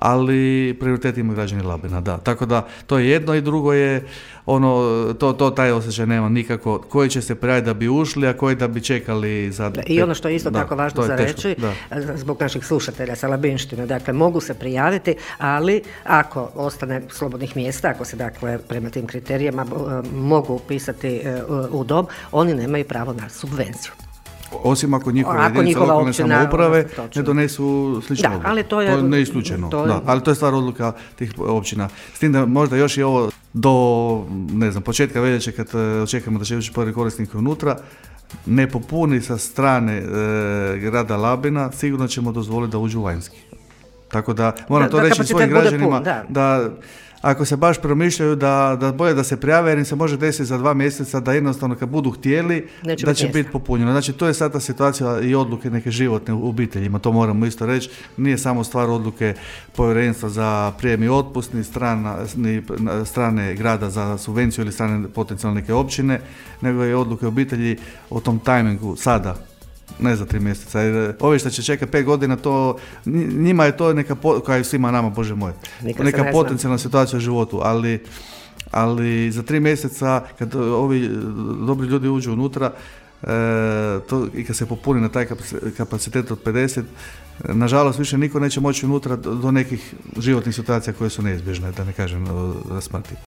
ali prioritet imaju građani Labina, da. Tako da to je jedno i drugo je taj osjećaj nema nikako, koji će se prijaviti da bi ušli, a koji da bi čekali za... I ono što je isto tako važno za reći, zbog naših slušatelja sa labinštine, dakle mogu se prijaviti, ali ako ostane slobodnih mjesta, ako se dakle prema tim kriterijima mogu upisati u dom, oni nemaju pravo na subvenciju. Osim ako njihove jedinice lokalne samouprave ne donesu sličnu odluku. Ali to je neisključeno. Ali to je stvar odluka tih općina. S tim da možda još i ovo do početka veljače kad očekujemo da će ući prvi korisnik unutra, ne popuni sa strane grada Labina, sigurno ćemo dozvoliti da uđu vanjski. Tako da moram to reći svojim građanima da ako se baš promišljaju da bolje da se prijave jer im se može desiti za 2 mjeseca da jednostavno kad budu htjeli da će biti popunjeno. Znači to je sad ta situacija i odluke neke životne u obiteljima, to moramo isto reći. Nije samo stvar odluke povjerenstva za prijem i otpust, ni strane grada za subvenciju ili strane potencijalne neke općine, nego je odluke obitelji o tom tajmingu sada. Ne za 3 mjeseca. Ovi što će čekati 5 godina, njima je to neka, kao i svima nama, Bože moj, neka potencijalna situacija u životu, ali za 3 mjeseca kad ovi dobri ljudi uđu unutra i kad se popuni na taj kapacitet od 50, nažalost više niko neće moći unutra do nekih životnih situacija koje su neizbježne, da ne kažem smrti.